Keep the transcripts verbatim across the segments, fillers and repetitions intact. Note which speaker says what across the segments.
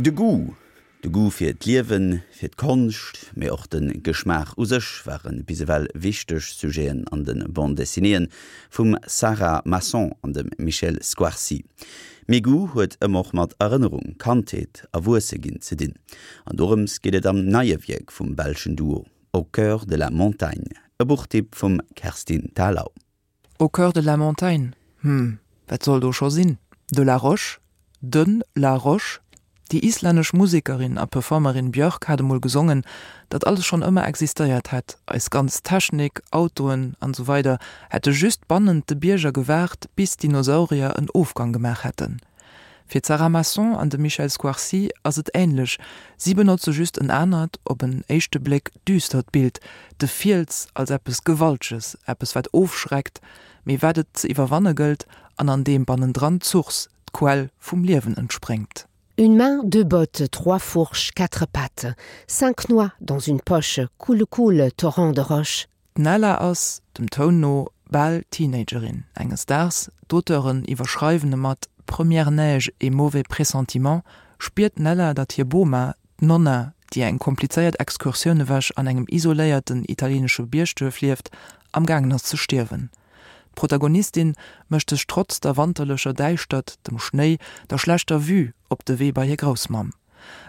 Speaker 1: De Goût. De Goût fir d'Liewen, fir d'Konscht, mee och de Geschmaach u sech ware bis ewell wichteg Sujeten an de Bande-dessinéeën vum Sarah Masson an dem Michel Squarci. Mee Goût huet ëmmer och mat Erënnerung, Kandheet, Erwuesse ginn ze dinn. An dorëms geet et am neie Wierk vum belschen Duo Au cœur de la montagne, e Buchtipp vum Kerstin Thalau.
Speaker 2: Au cœur de la montagne. Hm, wat soll do scho sinn? De la Roche? Den la Roche? Déi islännesch Musekerin a Performerin Björk hat emol gesongen, datt alles schonn ëmmer existéiert hätt, eis ganz Technik, Autoen an esou weider hätte just bannent de Bierger gewaart, bis d'Dinosaurier en Ofgang gemaach hätten. Fir d'Sarah Masson an de Michel Squarci ass et änlech, si benotze just en anert, op en éischte Bléck düstert Bild, de Fiels als eppes Gewalteges, eppes wat ofschreckt, mee wat et ze iwwerwanne gëllt an an deem bannendran d'Source, d'Quell vum Liewen entspréngt.
Speaker 3: Une main, deux bottes, trois fourches, quatre pattes, cinq noix dans une poche, coule, coule, torrent de roches.
Speaker 2: D'Nella ass, dem Toun no, bal Teenagerin. Enges Daags, d'Auteuren iwwerschreiwen e mat Première neige et mauvais pressentiment, spiert d'Nella, datt hir Boma, d'Nonna, déi eng komplizéiert Excursioun ewech an engem isoléierten italieenesche Biergduerf lieft, amgaangen ass ze stierwen. D'Protagonistin mécht sech trotz der wanterlecher Däischtert, dem Schnéi, der schlechter Vue op de Wee bei hir Groussmamm.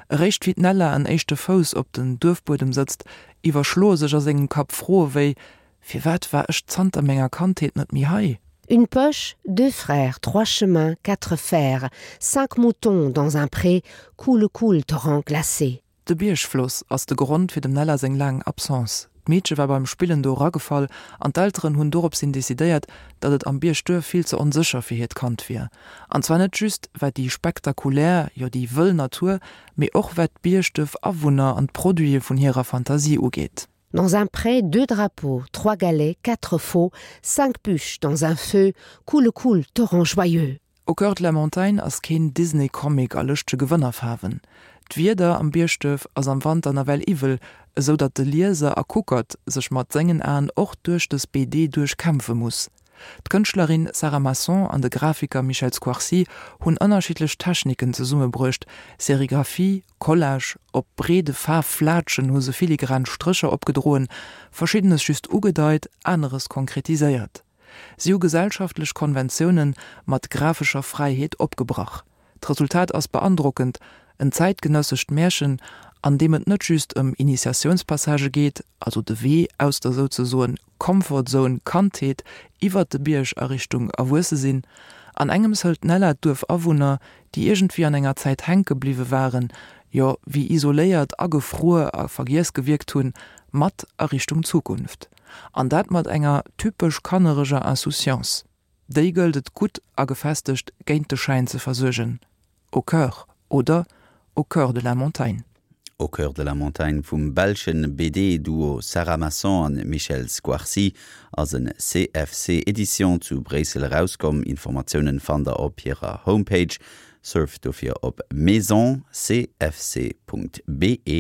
Speaker 2: Eréischt wéi d'Nella en éischte Fouss op den Duerfbuedem sëtzt, iwwerschloe sech a sengem Kapp Froe wéi: Firwat war ech zanter menger Kandheet net méi hei?
Speaker 3: Une poche, deux frères, trois chemins, quatre fers, cinq moutons dans un pré, coule, coule, torrent glacé.
Speaker 2: De Biergfloss ass de Grond fir dem Nella seng laang Absence. D'Meedche war beim Spillen do eragefall an d'Elteren hunn doropshin decidéiert, datt et am Biergduerf vill ze onsécher fir hiert Kand wier. An zwar net just wat déi spektakulär, jo déi wëll Natur, mee och wat d'Biergduerf-Awunner an d'Produite vun hirer Fantasie ugeet.
Speaker 3: Dans un pré, deux drapeaux, trois galets, quatre faux, cinq bûches dans un feu, coule, coule, torrent joyeux.
Speaker 2: Au cœur de la montagne ass keen Disney-Comic a lëschtege Gewënnerfaarwen. D'Wieder am Biergduerf ass am Wanter nawell iwwel, esou datt de Lieser a Kuckert sech mat sengen Aen och duerch dës B D duerchkämpfe muss. D'Kënschtlerin Sarah Masson an de Grafiker Michel Squarci hunn ënnerschiddlech Techniken zesummebruecht, Serigraphie, Collage, op breede Faarfflaatschen hu se filigran Strécher opgedroen, Verschiddenes just ugedeit, aneres konkretiséiert. Si hu gesellschaftlech Konventioune mat grafescher Fräiheet opgebrach. D'Resultat ass beandrockend, en zäitgenëssescht Märchen, an deem et net just ëm Initiatiounspassagë geet, also de Wee aus der souzesoen Comfort Zone Kandheet iwwert de Bierg a Richtung Erwuesse sinn. An engems hëlt d'Nella d'Duerfawunner, déi iergendwéi an enger Zäit hänke bliwwe waren, jo wéi isoléiert, agefruer a vergiess gewierkt hunn, mat a Richtung Zukunft. An dat mat enger typesch kannereger Insouciance. Déi gëllt et gutt a gefestegt géint de Schäin ze versuergen. Au cœur oder au cœur de la montagne.
Speaker 1: Au cœur de la montagne vum belschen B D-Duo Sarah Masson an Michel Squarci ass en C F C Edition zu Bréissel erauskomm. Informatiounen fannt der op hirer Homepage. Surft dofir op maison C F C Punkt B E.